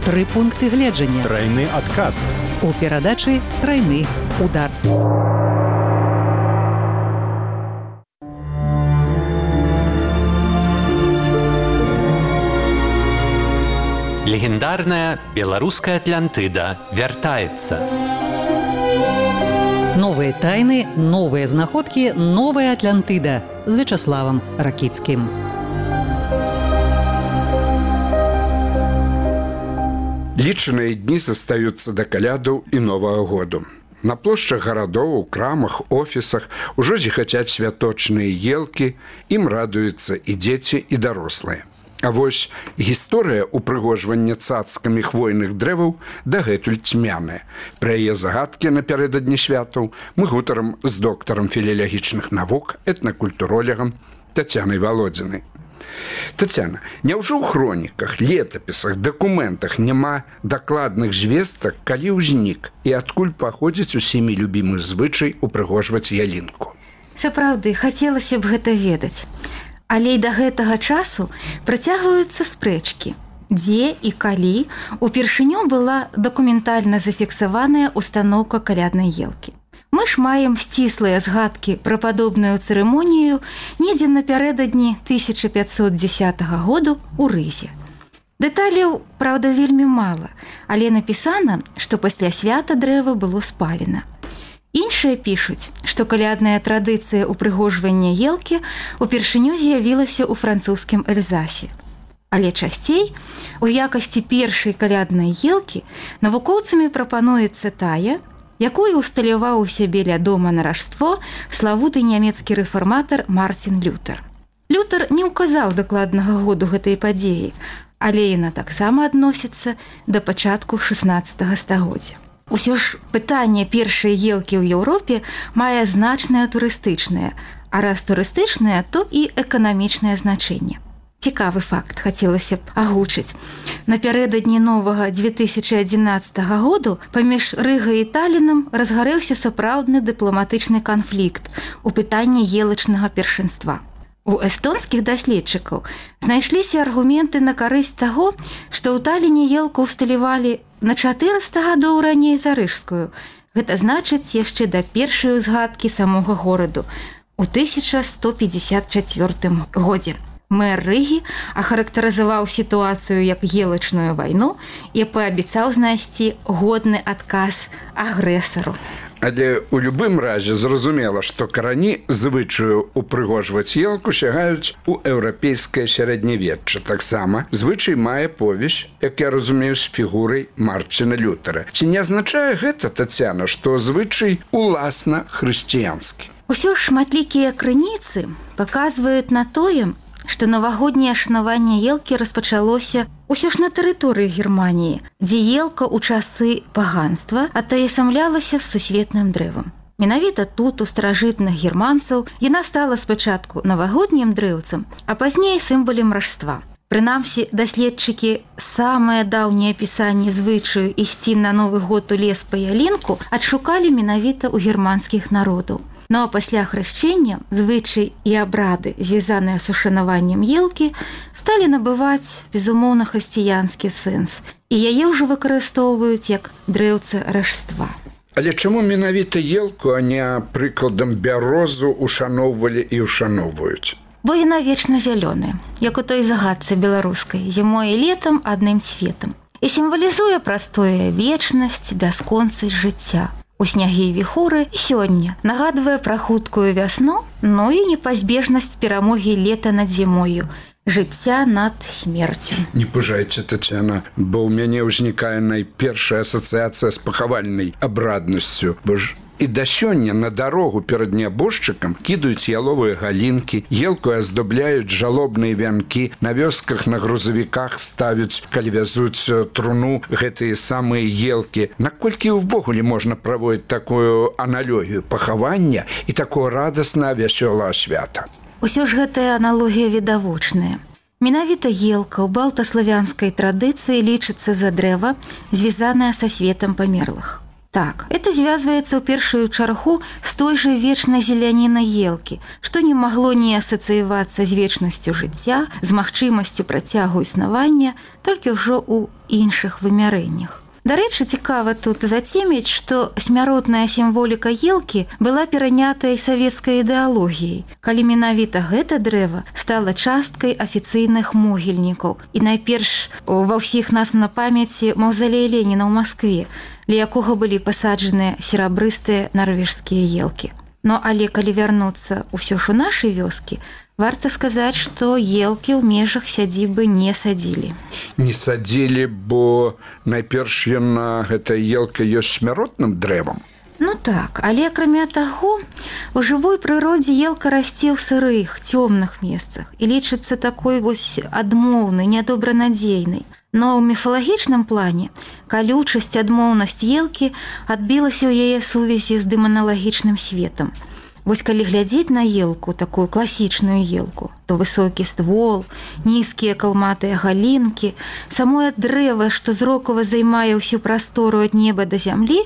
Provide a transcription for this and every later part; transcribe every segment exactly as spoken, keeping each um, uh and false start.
Тры пункты гледжання. Трайны адказ. У перадачы трайны удар. Легендарная беларуская Атлантыда вяртаецца. Новыя тайны, новыя знаходкі, новая Атлантыда з Вячаславам Ракіцкім. Лічаныя дні застаюцца да калядаў і Новага году. На плошчах гарадоў, у крамах, офісах ужо зіхацяць святочныя елкі, ім радуюцца і дзеці, і дарослыя. А вось гісторыя упрыгожвання цацкамі хвойных дрэваў дагэтуль цьмяная. Пра яе загадкі напярэдадні святаў мы гутарам з доктарам філалагічных навук, этнакультуролегам Тацянай Валодзінай. Тацяна, няўжо ў хроніках, летапісах, дакументах няма дакладных звестак, калі ўзнік і адкуль паходзіць усімі любімы звычай упрыгожваць ялінку? Сапраўды, хацелася б гэта ведаць. Але і да гэтага часу працягваюцца спрэчкі, дзе і калі упершыню была дакументальна зафіксаваная устаноўка каляднай елкі. Мы ж маем сціслыя згадкі пра падобную цырымонію недзе напярэдадні тысяча пятьсот дзесятага году ў Рызе. Дэталяў, праўда, вельмі мала, але напісана, што пасля свята дрэва было спалена. Іншыя пішуць, што калядная традыцыя упрыгожвання елкі упершыню з'явілася ў французскім Эльзасе. Але часцей, у якасці першай каляднай елкі навукоўцамі прапануецца тая, якую усталяваў у сябе ля дома на ражство славуты нямецкі рэфарматар Мартин Лютер. Лютер не ўказаў дакладнага году гэтай падзеі, але яна таксама адносіцца да пачатку шаснаццатага стагоддзя. Усё ж пытанне першай елкі ў Еўропе мае значнае турыстычнае, а раз турыстычнае, то і эканамічнае значэнне. Цікавы факт хацелася б агучыць. Напярэдадні новага две тысячы адзінаццатага году паміж Рыгай і Талінам разгарэўся сапраўдны дыпламатычны канфлікт у пытанні елачнага першынства. У эстонскіх даследчыкаў знайшліся аргументы на карысць таго, што ў Таліне елку ўсталявалі на чатырыста гадоў раней за рыжскую. Гэта значыць яшчэ да першай узгадкі самога гораду у тысяча сто пятьдесят чацвёртым годзе. Мэр Рыгі ахарактарызаваў сітуацыю як елачную вайну і паабяцаў знайсці годны адказ агрэсару. Але ў любым разе зразумела, што карані звычаю упрыгожваць елку сягаюць у еўрапейскае сярэднявечча. Таксама звычай мае повесь, як я разумею, з фігурай Мартина Лютера. Ці не азначае гэта, Тацяна, што звычай уласна хрысціянскі? Усё ж шматлікія крыніцы паказваюць на тое, што навагодняе шанаванне елкі распачалося ўсё ж на тэрыторыі Германіі, дзе елка ў часы паганства атаясамлялася з сусветным дрэвам. Менавіта тут, у старажытных германцаў, яна стала спачатку навагоднім дрэўцам, а пазней сімвалем ражства. Прынамсі, даследчыкі самае даўняе апісанне звычаю ісці на Новы год у лес па ялінку адшукалі менавіта ў германскіх народаў. Ну а пасля хрышчэння звычай і абрады, звязаныя з ушанаваннем елкі, сталі набываць, безумоўна, хрысціянскі сэнс, і яе ўжо выкарыстоўваюць як дрэўца ражства. Але чаму менавіта елку, а не прыкладам бярозу ушаноўвалі і ушаноўваюць? Бо яна вечна зялёная, як у той загадцы беларускай, зімой і летам адным цветам, і сімвалізуе прастое вечнасць, бясконцасць жыцця. У снягі і віхуры сёння нагадвае пра хуткую вясну, но і непазбежнасць перамогі лета над зімою, жыцця над смерцю. Не пужайце, Тацяна, бо ў мяне ўзнікае найпершая асацыяцыя з пахавальнай абраднасцю, бо ж і да сёння на дарогу перад нябожчыкам кідаюць яловыя галінкі, елку аздобляюць жалобныя вянкі, на вёсках на грузавіках ставяць, калі вязуць труну, гэтыя самыя елкі. Наколькі ўвогуле можна праводзіць такую аналогію пахавання і такое радасна вясёлае свята? Усё ж гэтая аналогія відавочная. Менавіта елка ў балтаславянскай традыцыі лічыцца за дрэва, звязаная са светам памерлых. Так, это звязваецца ў першую чаргу з той жа вечнай зелянінай елкі, што не магло не асацыявацца з вечнасцю жыцця, з магчымасцю працягу існавання, толькі ўжо ў іншых вымярэннях. Дарэчы, цікава тут зацеміць, што смяротная сімволіка елкі была перанятая савецкай ідэалогіяй, калі менавіта гэта дрэва стала часткай афіцыйных могільнікаў. І найперш ва ўсіх нас на памяці маўзалей Леніна ў Маскве, ля якога былі пасаджаныя серабрыстыя нарвежскія елкі. Но але калі вярнуцца ўсё ж у нашай вёскі, варта сказаць, што елкі ў межах сядзібы не садзілі. Не садзілі, бо найперш яна, гэта елка ёсць смяротным дрэвам. Ну так, але акрамя таго, у жывой прыродзе елка расце ў сырых, цёмных месцах і лічыцца такой вось адмоўнай, нядобранадзейнай. Но ў міфалагічным плане калючасць, адмоўнасць елкі адбілася ў яе сувязі з дэманалагічным светам. Вось калі глядзець на елку, такую класічную елку, то высокі ствол, нізкія калматыя галінкі, самое дрэва, што зрокава займае ўсю прастору ад неба да зямлі,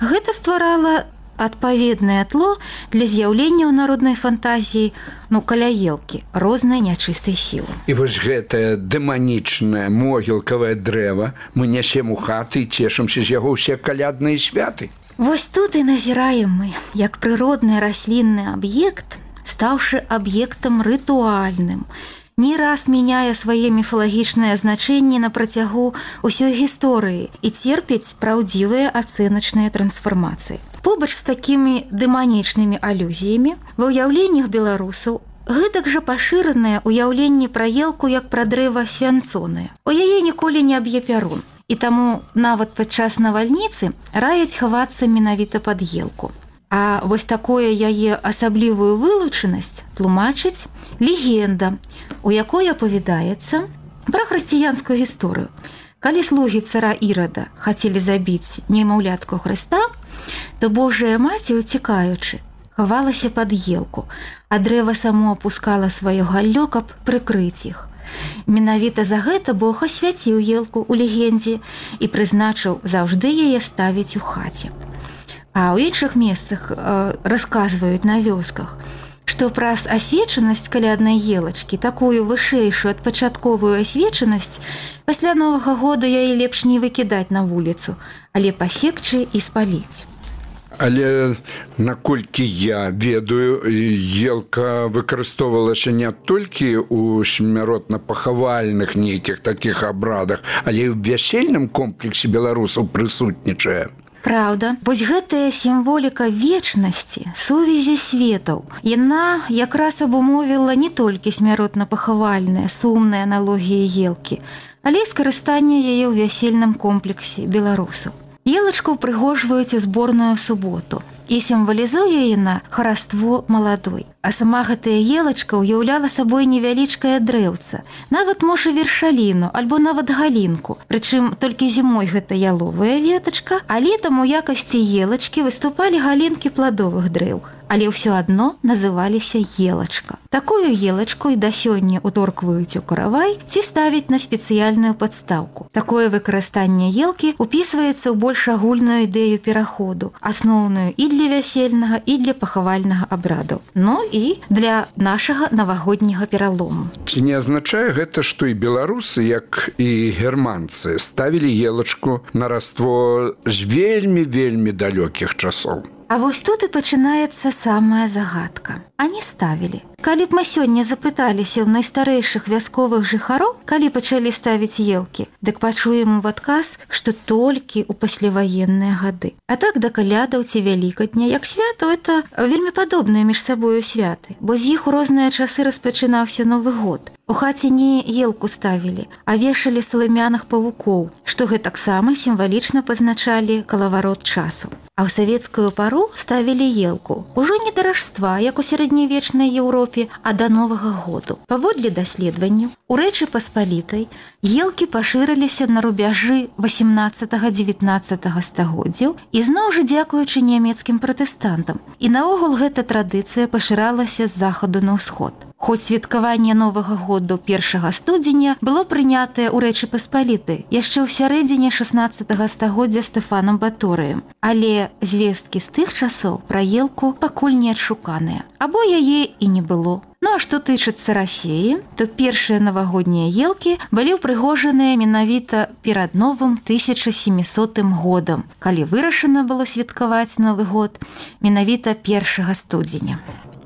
гэта стварала адпаведнае тло для з'яўлення ў народнай фантазіі, ну, каля елкі, рознай нячыстай сілы. І вось гэтае дэманічнае могілкавае дрэва мы нясем у хаты і цешымся з яго ўсе калядныя святы. Вось тут і назіраем мы, як прыродны раслінны аб'ект, стаўшы аб'ектам рытуальным, не раз мяняе свае міфалагічныя значэнні на працягу ўсёй гісторыі і церпіць праўдзівыя ацэначныя трансфармацыі. Побач з такімі дэманічнымі алюзіямі ва ўяўленнях беларусаў гэтак жа пашыранае ўяўленне пра елку як пра дрэва свянцонае. У яе ніколі не аб'е пярун. І таму нават падчас навальніцы раяць хавацца менавіта пад елку. А вось такое яе асаблівую вылучанасць тлумачыць легенда, у якой апавядаецца пра хрысціянскую гісторыю. Калі слугі цара Ірада хацелі забіць немаўлятку Хрыста, то Божая маці, уцікаючы, хавалася пад елку, а дрэва само апускала сваё галлё, каб прыкрыць іх. Менавіта за гэта Бог асвяціў елку ў легендзе і прызначыў заўжды яе ставіць у хаце. А ў іншых месцах э, расказваюць на вёсках, што праз асвечанасць каляднай елачкі, такую вышэйшую ад пачатковую асвечанасць, пасля Новага года яе лепш не выкідаць на вуліцу, але пасекчы і спаліць. Але, наколькі я ведаю, елка выкарыстоўвалася не толькі ў смяротна-пахавальных нейкіх такіх абрадах, але і ў вясельным комплексе беларусаў прысутнічае. Праўда, вось гэтая сімволіка вечнасці, сувязі светаў, яна якраз абумовіла не толькі смяротна-пахавальныя, сумныя аналогіі елкі, але і скарыстанне яе ў вясельным комплексе беларусаў. Елачку ўпрыгожваюць у зборную суботу і сімвалізуе яна хараство маладой. А сама гэтая елачка ўяўляла сабой невялічкае дрэўца, нават можа вершаліну альбо нават галінку. Прычым толькі зімой гэта яловая ветачка, а летам у якасці елачкі выступалі галінкі пладовых дрэў, але ўсё адно называліся елачка. Такую елачку і да сёння уторкваюць у каравай ці ставяць на спецыяльную падстаўку. Такое выкарыстанне елкі упісваецца ў больш агульную ідэю пераходу, асноўную і для вясельнага, і для пахавальнага абраду, ну і для нашага навагодняга пералому. Ці не азначае гэта, што і беларусы, як і германцы, ставілі елачку на раство з вельмі-вельмі далёкіх часоў? А вось тут і пачынаецца самая загадка. А не ставілі. Калі б мы сёння запыталіся ў найстарэйшых вясковых жыхароў, калі пачалі ставіць елкі, дык пачуем у адказ, што толькі ў пасляваенныя гады. А так да калядаў ці вялікадня, як свято, это вельмі падобныя між сабою святы, бо з іх у розныя часы распачынаўся Новы год. У хаце не елку ставілі, а вешалі саламяных павукоў, што гэтаксама сімвалічна пазначалі калаварот часу. А ў савецкую пару ставілі елку ужо не да Рождства, як у сярэднявечнай Еўропе, а да Новага году. Паводле даследаванняў, у Рэчы Паспалітай елкі пашырыліся на рубяжы васемнаццатага-дзевятнаццатага стагоддзяў і зноў жа дзякуючы нямецкім пратэстантам. І наогул гэта традыцыя пашыралася з захаду на ўсход. Хоць святкаванне Новага году першага студзеня было прынятае ў Рэчы Паспалітай яшчэ ў сярэдзіне шаснаццатага стагоддзя Стэфанам Баторыем, але звесткі з тых часоў пра елку пакуль не адшуканыя, або яе і не было. Ну а што тычыцца Расіі, то першыя навагоднія елкі былі ўпрыгожаныя менавіта перад новым тысяча сямісотым годам, калі вырашана было святкаваць Новы год менавіта першага студзеня.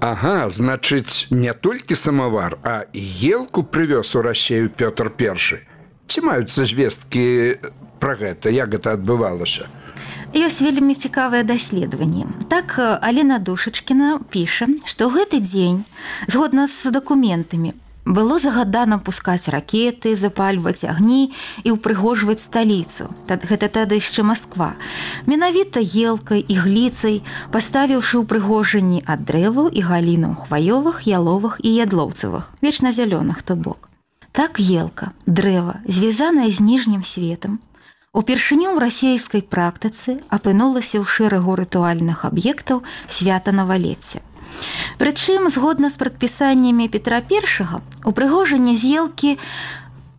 Ага, значыць, не толькі самавар, а і елку прывёз у Расію Пётр Першы. Ці маюцца звесткі пра гэта, як гэта адбывалася? Ёсць вельмі цікавае даследаванне. Так, Алена Душачкіна піша, што гэты дзень, згодна з дакументамі, было загадана пускаць ракеты, запальваць агні і ўпрыгожваць сталіцу. Гэта тады яшчэ Масква. Менавіта елкай і гліцай, паставіўшы ўпрыгожанні ад дрэваў і галінаў хваёвых, яловых і ядлоўцавых, вечназялёных, то бок. Так елка, дрэва, звязаная з ніжнім светам, упершыню ў расійскай практыцы апынулася ў шэрагу рытуальных аб'ектаў свята Навалецця. Прычым, згодна з прадпісаннямі Петра Першага, упрыгожанне з елкі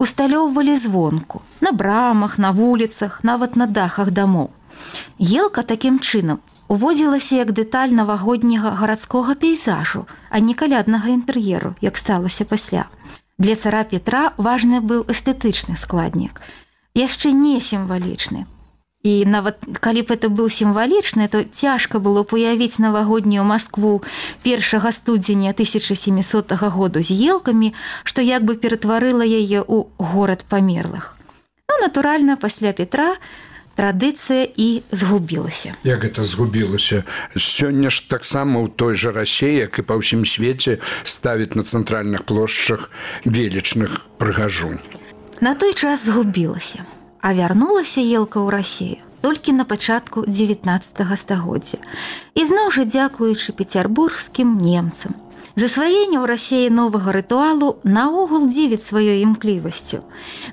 усталёўвалі звонку, на брамах, на вуліцах, нават на дахах дамоў. Елка такім чынам уводзілася як дэталь навагодняга гарадскога пейзажу, а не каляднага інтэр'еру, як сталася пасля. Для цара Петра важны быў эстэтычны складнік, яшчэ не сімвалічны. І нават калі б это быў сімвалічны, то цяжка было б уявіць навагоднюю Маскву першага студзеня тысяча сямісотага году з елкамі, што як бы ператварыла яе ў горад памерлых. Ну, натуральна, пасля Петра традыцыя і згубілася. Як гэта згубілася? Сёння ж таксама ў той жа Расіі, як і па ўсім свеце, ставіць на цэнтральных плошчах велічных прыгажунь. На той час згубілася, а вярнулася елка ў Расію толькі на пачатку дзевятнаццатага стагоддзя. І зноў жа дзякуючы пецярбургскім немцам. Засваенне ў Расіі новага рытуалу наогул дзівіць сваёй імклівасцю.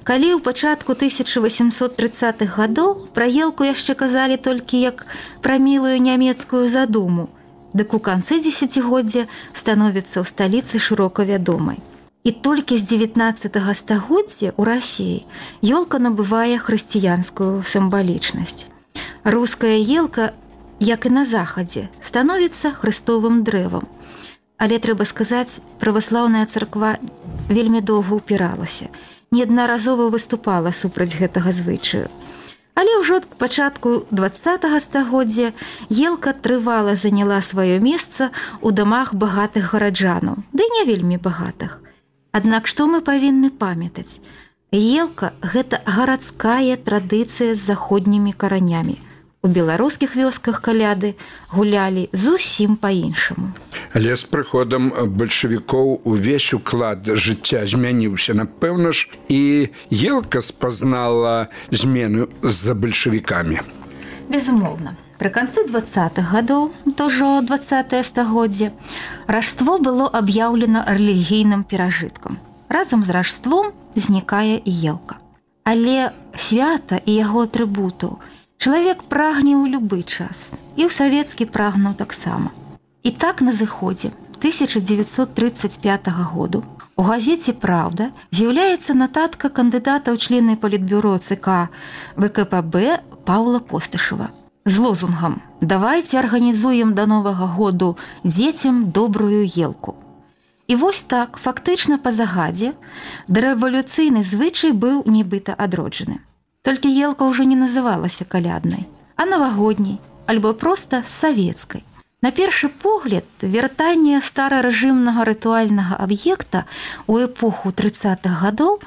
Калі ў пачатку тысяча васемсот трыццатых гадоў пра елку яшчэ казалі толькі як пра мілую нямецкую задуму, дык у канцы дзесяцігоддзя становіцца ў сталіцы шырока вядомай. І толькі з дзевятнаццатага стагоддзя ў Расіі ёлка набывае хрысціянскую сімвалічнасць. Руская елка, як і на захадзе, становіцца хрыстовым дрэвам. Але, трэба сказаць, праваслаўная царква вельмі доўга ўпіралася, неаднаразова выступала супраць гэтага звычаю. Але ўжо к пачатку дваццатага стагоддзя елка трывала заняла сваё месца ў дамах багатых гараджанаў, ды не вельмі багатых. Аднак што мы павінны памятаць? Елка – гэта гарадская традыцыя з заходнімі каранямі. У беларускіх вёсках каляды гулялі зусім па-іншаму. Але з прыходам бальшавікоў увесь уклад жыцця змяніўся. Напэўна ж, і елка спазнала змену з-за бальшавікамі. Безумоўна. Пры канцы дваццатых гадоў, то ўжо дваццатае стагоддзе, ражство было аб'яўлена рэлігійным перажыткам. Разам з ражством знікае і елка. Але свята і яго атрыбутаў чалавек прагне ў любы час, і ў савецкі прагнуў таксама. І так на зыходзе тысяча дзевяцьсот трыццаць пятага году у газеце «Праўда» з'яўляецца нататка кандыдата ў члены палітбюро ЦК ВКПБ Паўла Постышева з лозунгам «Давайце арганізуем да Новага году дзецям добрую елку». І вось так, фактычна па загадзе, дарэвалюцыйны звычай быў нібыта адроджаны. Толькі елка ўжо не называлася каляднай, а навагодняй, альбо проста савецкай. На першы погляд, вяртанне старарэжымнага рытуальнага аб'екта ў эпоху трыццатых гадоў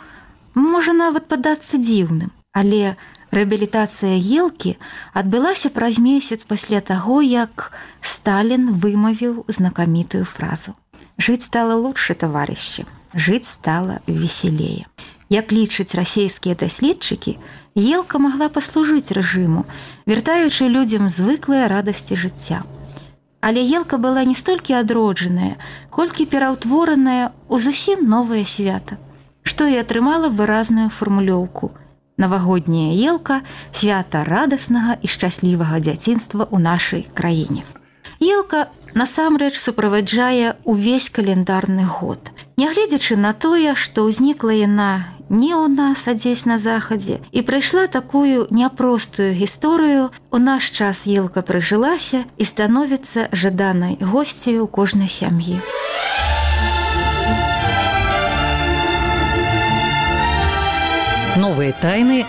можа нават падацца дзіўным, але рэабілітацыя елкі адбылася праз месяц пасля таго, як Сталін вымавіў знакамітую фразу «Жыць стала лучше, товарищи, жыць стала веселее». Як лічаць расійскія даследчыкі, елка магла паслужыць рэжыму, вяртаючы людзям звыклыя радасці жыцця. Але елка была не столькі адроджаная, колькі пераўтвораная ў зусім новае свята, што і атрымала выразную фармулёўку «Навагодняя елка – свята радаснага і шчаслівага дзяцінства ў нашай краіне». Елка насамрэч суправаджае ўвесь каляндарны год. Нягледзячы на тое, што ўзнікла яна не ў нас, а дзесь на захадзе, і прайшла такую няпростую гісторыю, у наш час елка прыжылася і становіцца жаданай госцею кожнай сям'і. Новыя тайны